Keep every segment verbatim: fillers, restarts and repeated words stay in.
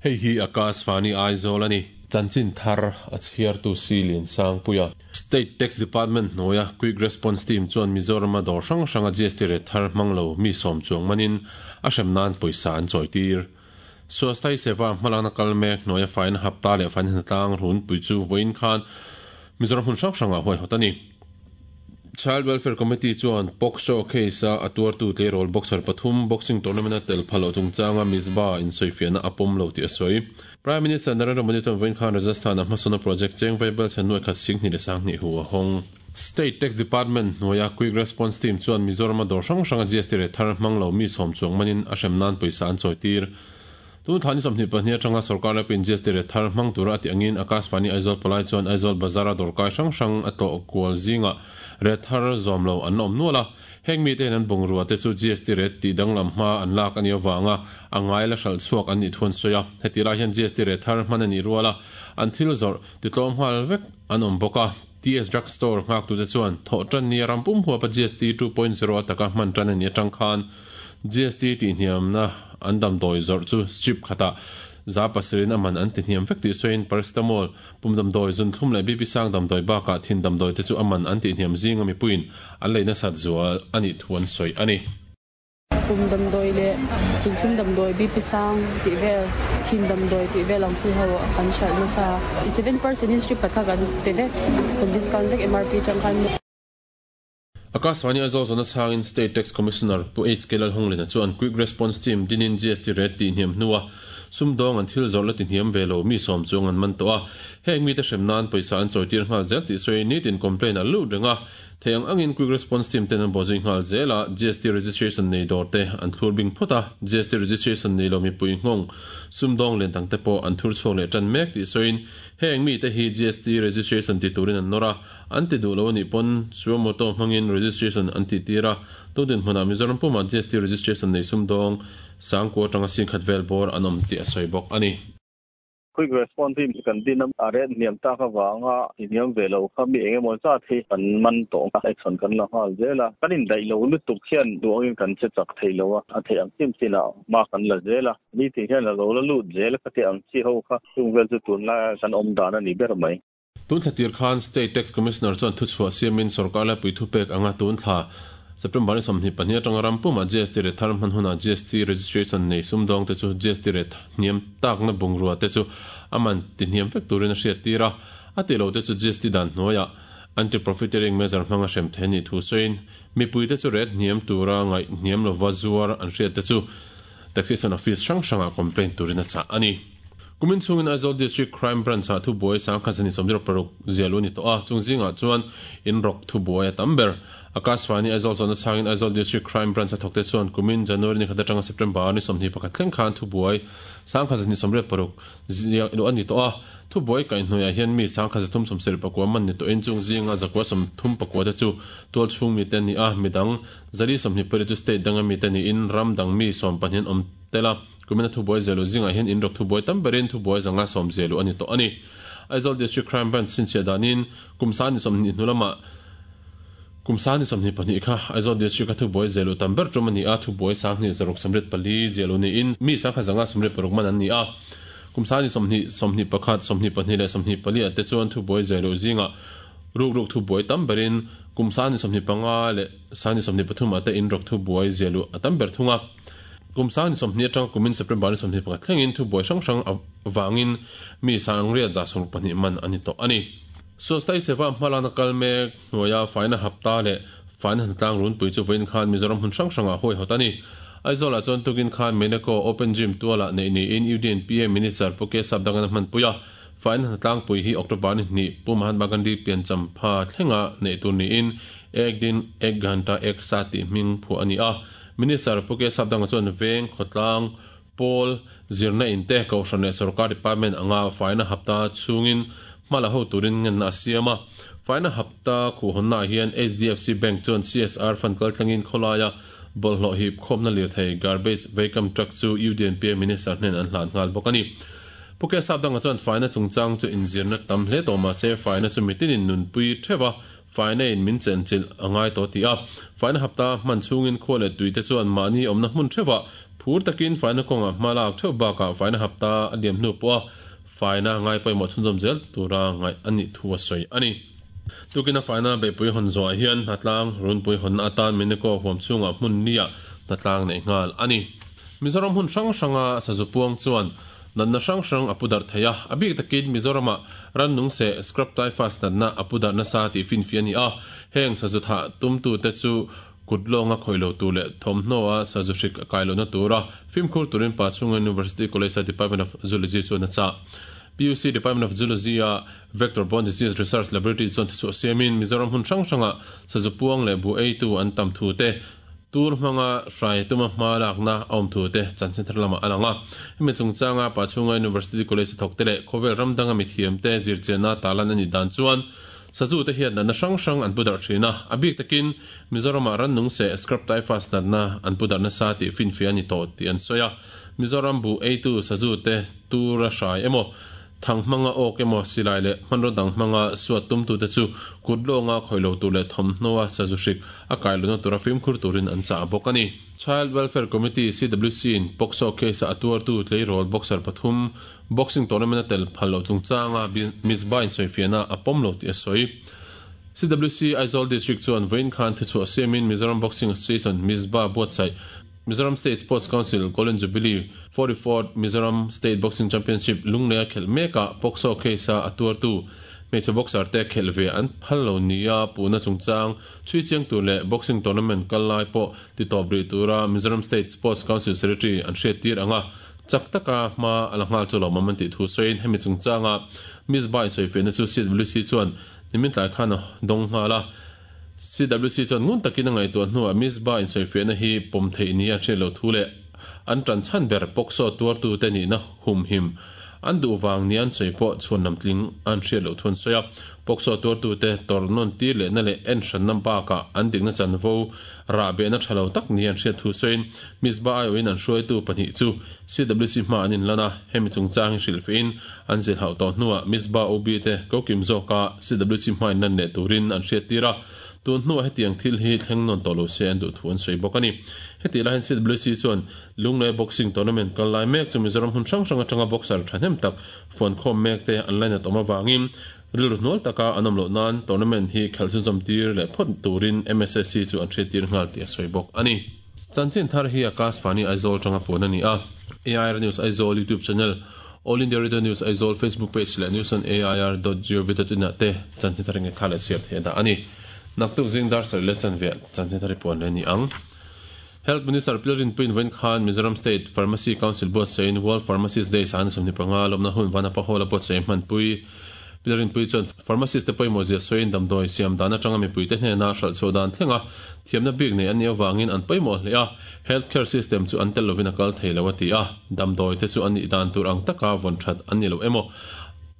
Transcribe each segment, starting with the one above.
Hei hi Akashvani Aizawl ani. Chanchin thar a chhiartu si Lian Sangpuia. State Tax Department hnuaia Quick Response Team chuan Mizoram a dawr hrang hranga G S T rate thar hmang lo mi sawm chuang manin a hrem nan pawisa an chawitir. Swasthya Seva hmalakna kal mek hnuaia faina hapta leh faina hnatlang runpui chu vawiin khan Mizoram hmun hrang hrangah huaihawt a ni. Child Welfare Committee chuan POCSO case a a tuartu tleirawl boxer pathum boxing tournament a tel phal loh chungchanga Mizba insawifiahna a pawm lo tih a sawi. Prime Minister Narendra Modi chuan vawiin khan Rajasthan a hmasawnna project cheng vaibel chhen nuai khat sing hnih leh sang hnih hu a hawng. State Tax Department hnuaia Quick Response Team chuan Mizoram a dawr hrang hranga G S T rate thar hmang lo mi sawm chuang manin a hrem nan pawisa an chawitir. Tun thla ni sawmhnih pahnih atanga sorkar laipin G S T rate thar hmang tura a tih angin Akashvani Aizawl palai chuan Aizawl Bazar a dawrkai hrang hrang a tlawh kual zinga rate thar zawm lo an awm nual a. Heng mite hian an bungrua te chu G S T rate tih danglam hma an lak a nih avanga a ngai la hralh chhuak an nih thu an sawi a. Heti lai hian G S T rate thar hman a nih rual a an thil zawrh titlawm nghal vek an awm bawk a. T S Drug Store nghaktute chuan thawh tan ni a rampum huapa G S T two point zero ataka hman tan a nih atang khan G S T tihhniamna an damdawi zawrh chu strip khatah za pasarih a man an tihhniam vek tih sawiin paracetamol, pum damdawi, zunthlum leh B P sang damdawi bakah thin damdawi te chu a man an tihhniam zinga mipuiin an lei nasat zual a nih thu an sawi a ni. Pum damdawi leh zunthlum damdawi, B P sang tih vel, thin damdawi tih vel ang chi ho an hralh nasa. Seven percent in strip khat kha kan pe vek, kan discount vek M R P tang khan. Akashvani Aizawl zawhna chhangin State Tax Commissioner Pu H K Lalhunglina chuan Quick Response Team dinin G S T rate tihhniam hnua sumdawng an thil zawrh la tihhniam ve lo mi sawm chuang an man tawh a. Heng mite hrem nan pawisa an chawitir nghal zel tih sawiin nitin complaint a lut reng a. Thei ang angin Quick Response Team ten an bawhzui nghal zel a, G S T registration nei dawr te an thlur bing phawt a, G S T registration nei lo mipui nghawng sumdawng len dang te pawh an thur chhuak leh tan mek tih sawiin heng mite hi G S T registration ti turin an nawr a, an ti duh lo a nih pawn suo moto hmangin registration an tih tir a. Tundin hmunah Mizoram pumah G S T registration nei sumdawng sangkua atanga singkhat vel bawr an awm tih a sawi bawk a ni. Quick Response Team kan din a rate hniam tak avanga hniam ve lo kha mi engemaw zat hi kan man tawh a, action kan la nghal zel a. Kan indaih lo lutuk hian duangin kan che chak thei lo a, a theih ang chin chinah hma kan la zel a. Ni ti hian a lo la lut zel kha ti ang chi ho kha chung vel chu tunlai kan awm dan a ni ber mai. Tun thla tir khan State Tax Commissioner chuan thuchhuah siamin sorkar laipui thupek anga tun thla September ni sawmhnih pahnih atanga rampuma G S T rate thar hman hunah G S T registration nei sumdawng te chu G S T rate hniam takna bungrua te chu a man tihhniam vek turin a hriat tir a. A ti lo te chu G S T dan hnuaiah anti-profiteering measure hmanga hrem thei ni thu sawiin mipui te chu rate hniam tura ngaih hniam lova zuar an hriat te chu taxation office hrang hrangah complaint turin a chah a ni. Kumin chungin Aizawl District Crime Branch ah thubuai sangkhat zani sawmzero paruk zialu ni tawh a, chung zingah chuan in rawk thubuai a tam ber. Akashvani Aizawl zawhna chhangin Aizawl District Crime Branch a thawkte chuan kumin January ni khat atanga September ni sawmhnih pakhat thleng khan thubuai sangkhat zani sawmriat paruk zialu a ni tawh a. Thubuai kaihhnuaiah hian mi sangkhat zathum sawmsarih pakua man ni tawhin chung zinga zakua sawmthum pakua te chu tual chhung mi te ni a, midang zali sawmhnih pali chu state danga mi te niin ram dang mi sawm pahnih an awm tel a. Kumina thubuai zialu zingah hian in rawk thubuai tam berin thubuai zanga sawm zialu a ni tawh a ni. Aizawl District Crime Branch chhinchhiah danin kum sa ni sawmhnih hnu lamah kum sa ni sawmhnih pahnih kha Aizawl District a thubuai zialu tam ber tum a ni a, thubuai sanghnih zaruk sawmriat pali zialu niin mi sangkhat zanga sawmriat paruk man an ni a. Kum sa ni sawmhnih, sawmhnih pakhat, sawmhnih pahnih leh sawmhnih pali ah te chuan thubuai zialu zingah ruk ruk thubuai tam berin kum sa ni sawmhnih panga leh sa ni sawmhnih pathum ah te in rawk thubuai zialu a tam ber thung a. Kum sa ni sawmhnih atanga kumin September ni sawmhnih pakhat thlengin thubuai hrang hrang avangin mi sangriat za sawmruk pahnih man a ni tawh a ni. Swasthya Seva hmalakna kal mek hnuaia faina hapta leh faina hnatlang runpui chu vawiin khan Mizoram hmun hrang hrangah huaihawt a ni. Aizawlah chuan tukin khan Meneko Open Gym tualah neih niin Union P M Minister Pu K Sapdangana hmanpui a. Faina hnatlang pui hi October ni hnih Pu Mahatma Gandhi piancham pha thlenga neih tur niin Ek Din Ek Ghanta Ek Saath tih hming phuah a ni a. Minister Pu K Sapdanga chuan veng khawtlang pawl zirna in te kohhran leh sarkar department anga faina hapta chungin hmala ho turin ngenna a siam a. Faina hapta khuhawnnah hian H D F C Bank chuan C S R fund kal thlengin khawlaia bawlhhlawh hip khawmna lirthei garbage vacuum truck chu U D N P A Minister hnen an hlan nghal bawk a ni. Pu K Sapdanga chuan faina chungchang chu inzirna tam hle tawh mahse faina chu mitinin nunpui theuha faina in min chenchilh a ngai tawh ti a. Faina hapta hman chungin khua leh tuite chuan mahni awmna hmun theuha Phur takin faina kawnga hma lak theuh bakah faina hapta a liam hnu pawha faina ngai pawimawh chhunzawm zel tura ngaih a nih thu a sawi a ni. Tukina faina beihpui hawn zawhah hian hnatlang runpui hawnna atan Meneko huam chhungah hmun nia hnatlang neih nghal a ni. Mizoram hmun hrang hranga sazu puang chuan natna hrang hrang a pu darh thei a, a bik takin Mizoramah rannung seh scrub typhus natna a pu darh nasa tih finfiah a ni a, heng sazu thah tumtute chu kut lawnga khawih lo tur leh thawmhnaw-a sazu hrik a kai lohna tura fimkhur turin Pachhunga University College-a Department of Zoology chuan a chah. P U C Department of Zoology-a Vector-Borne Disease Research Laboratory chuan thuchhuah siamin Mizoram hmun hrang hranga sazu puang leh bu eitu an tam thu te, tur hmanga hrai tuma hma lakna a awm thu te chanchin thar lamah a lang a. Hemi chungchanga Pachhunga University College a thawk te leh khawvel ram danga mithiamte zirchianna talan a nih dan chuan sazu te hian natna hrang hrang an pu darh thin a, a bik takin Mizoramah rannung seh scrub typhus natna an pu darh nasa tih finfiah a ni tawh tih an sawi a. Mizoram bu eitu sazu te tura hrai emaw, thang hmanga awk emaw, silai leh hmanraw dang hmanga suat tumtute chu kut lawnga khawih lo tur leh thawmhnaw a sazu hrik a kai lohna tura fimkhur turin an chah bawk a ni. Child Welfare Committee, C W C, in POCSO case a tuartu tleirawl boxer pathum boxing tournament a tel phal loh chungchanga Mizba insawifiahna a pawm lo tih a sawi. C W C Aizawl District chuan vawiin khan thuchhuah siamin Mizoram Boxing Association Mizba buatsaih Mizoram State Sports Council Golden Jubilee forty-fourth Mizoram State Boxing Championship lunglei a khelh mekah POCSO case a a tuartu hmeichhe boxer te khelh ve an phal lo nia puhna chungchang chhui chiang tur leh boxing tournament kal lai pawh ti tawp rih tura Mizoram State Sports Council Secretary an hriat tir anga chak taka hma a la nghal chu lawmawm an tih thu sawiin hemi chungchanga Mizba insawifiahna chu C W C chuan nimin tlai khan a dawng nghal a. C W C chuan ngun takin a ngaihtuah hnuah Mizba insawifiahna hi pawm theih ni a hriat loh thu leh an tan chhan ber POCSO tuartute nihna humhim an duh vang ni an sawi pawh chhuan lam tling an hriat loh thu an sawi a. POCSO tuartute tawrhnawn tir lehna leh en hranna bakah an dikna chanvo rah behna tha lo tak ni an hriat thu sawiin Mizba aiawhin an hruaitu pahnih chu C W C hma an inlan a, hemi chungchang hi hrilhfiahin an zilhauh tawh hnuah Mizba O B te kokim zawka C W C hma inlan leh turin an hriat tir a. Tun hnuah hetiang thil hi thleng nawn tawh lo se an duh thu an sawi bawk a ni. Heti lahin C W C chuan Lunglei Boxing Tournament kal lai mek chu Mizoram hmun hrang hrang atanga boxer thahnem tak fuan khawm mek te an lainat awm avangin rilru hnual taka an awm loh nan tournament hi khelh chhunzawm tir leh phawt turin M S S C chu an hriat tir nghal tih a sawi bawk a ni. Chanchin thar hi Akash Vani Aizawl tanga puan a ni a. A I R News Aizawl YouTube channel, All India Radio News Aizawl Facebook page leh news on A I R dot gov dot in ah te chanchin thar nge kha leh chhiar theih a dah a ni. Naktuk zing dar sarih leh chanve chanchin thar hi puan leh ni ang. Health Minister Pilrin Puin vawiin khan Mizoram State Pharmacy Council buatsawiin World Pharmacist Day sahna sawmhnih panga lawmna hun Vanapa Hall a buatsawi hmanpui. Pilrin Pui chuan pharmacist te pawimawh zia sawiin damdawi siam dan atanga mipuite hnena hralh chhuah dan thlenga thiamna bik nei an nih avangin an pawimawh hle a, healthcare system chu an tel lovin a kal thei lo a ti a, damdawi te chu an nih dan tur ang taka vawn that an ni lo emaw,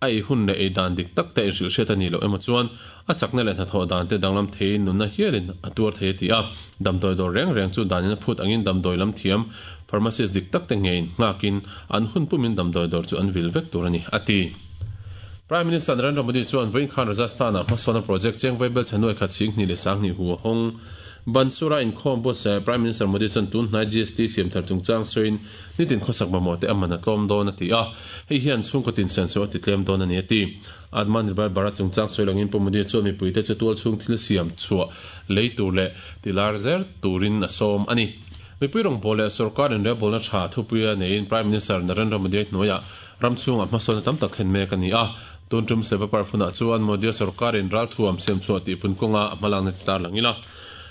a ei hun leh ei dan dik tak te inhrilh hriat a ni lo emaw chuan a chakna leh hnathawh dan te danglam theiin nunna hialin a tuar thei a ti a, damdawi dawr reng reng chu danin a phut angin damdawi lam thiam pharmacist dik tak te ngeiin nghakin an hun pumin damdawi dawr chu an vil vek tur a ni a ti. Prime Minister Narendra Modi chuan vawiin khan Rajasthan-ah hmasawnna project cheng vaibel chhanuai khat sing hnih leh sang hnih hu a hawng. Bansura inkhawm buatsaih Prime Minister Modi chuan tun hnai G S T siam thar chungchang sawiin nitin khawsak mamawh te a man a tlawm dawn a ti a, hei hian chhungkaw tin senso a ti tlem dawn a ni a ti. Atmanirbhar Bharat chungchang sawi langin Pu Modi chuan mipuite chu tual chhung thil siam chhuah lei tur leh tilar zer turin a sawm a ni. Mipui rawngbawl leh sarkar inrebawlna tha thupuia neiin Prime Minister Narendra Modi hnuaiah ram chhungah hmasawnna tam tak thlen mek a ni a. Tun tum seva parphunah chuan Modi sarkarin ral thuam siam chhuah tih pun kawnga a hmalakna ti tar langila.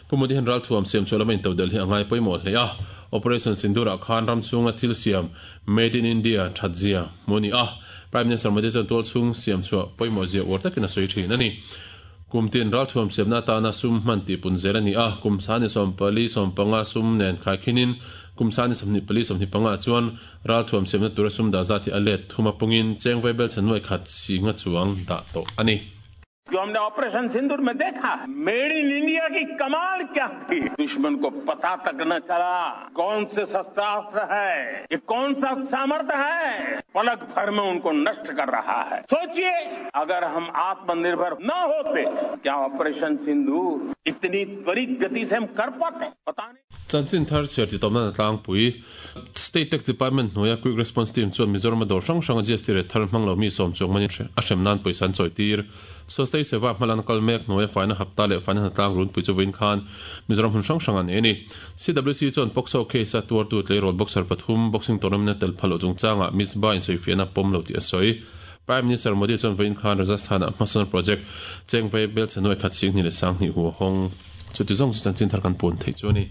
Pu Modi hian ral thuam siam chhuah lama intodel hi a ngai pawimawh hle a. Operation Sindurah khan ram chhunga thil siam Made in India thatzia hmu a ni a. Prime Minister Modi chuan tual chhung siam chhuah pawimawh zia uar takin a sawi thin a ni. Kum tin ral thuam siamna atana sum hman tih pun zel a ni a. Kum sani sawm pali sawm panga sum nen khai khinin kum sani sawmhnih pali sawmhnih panga chuan ral thuam siamna tura sum dah zat hi a let thuma pungin cheng vaibel chhanuai khat singa chuang dah tawh a ni. जो हमने ऑपरेशन सिंदूर में देखा, made in India की कमाल क्या थी, दुश्मन को पता तक न चला कौन से शस्त्रास्त्र है, ये कौन सा सामर्थ्य है, पलक भर में उनको नष्ट कर रहा है। सोचिए अगर हम आत्मनिर्भर न होते, क्या ऑपरेशन सिंदूर इतनी त्वरित गति से हम कर पाते? पता नहीं। Chanchin thar chhiar chi tawpna tlangpui State Tax Department hnuaia Quick Response Team chuan Mizoram dawr hrang hranga G S T rate thar hmang lo mi sawm chuang manin a hrem nan pawisa an chawi tir. Swasthya Seva hmalan kal mek hnuaia faina hapta leh faina hnatlang runpui chu vawiin khan Mizoram hun hrang hrang an ei a ni. C W C chuan POCSO case a tuartu tleirawl boxer pathum boxing tournament tel phal loh chungchangah Misbah insawifiahna pawm lo tih a sawi. Prime Minister Modi chuan vawiin khan Rajasthan-ah hmasawn project Chengvei Belchhenuai khat sing hnih leh sang hnih hu a hawng. Chuti zawng chu chanchin thar kan puan theih chu a ni.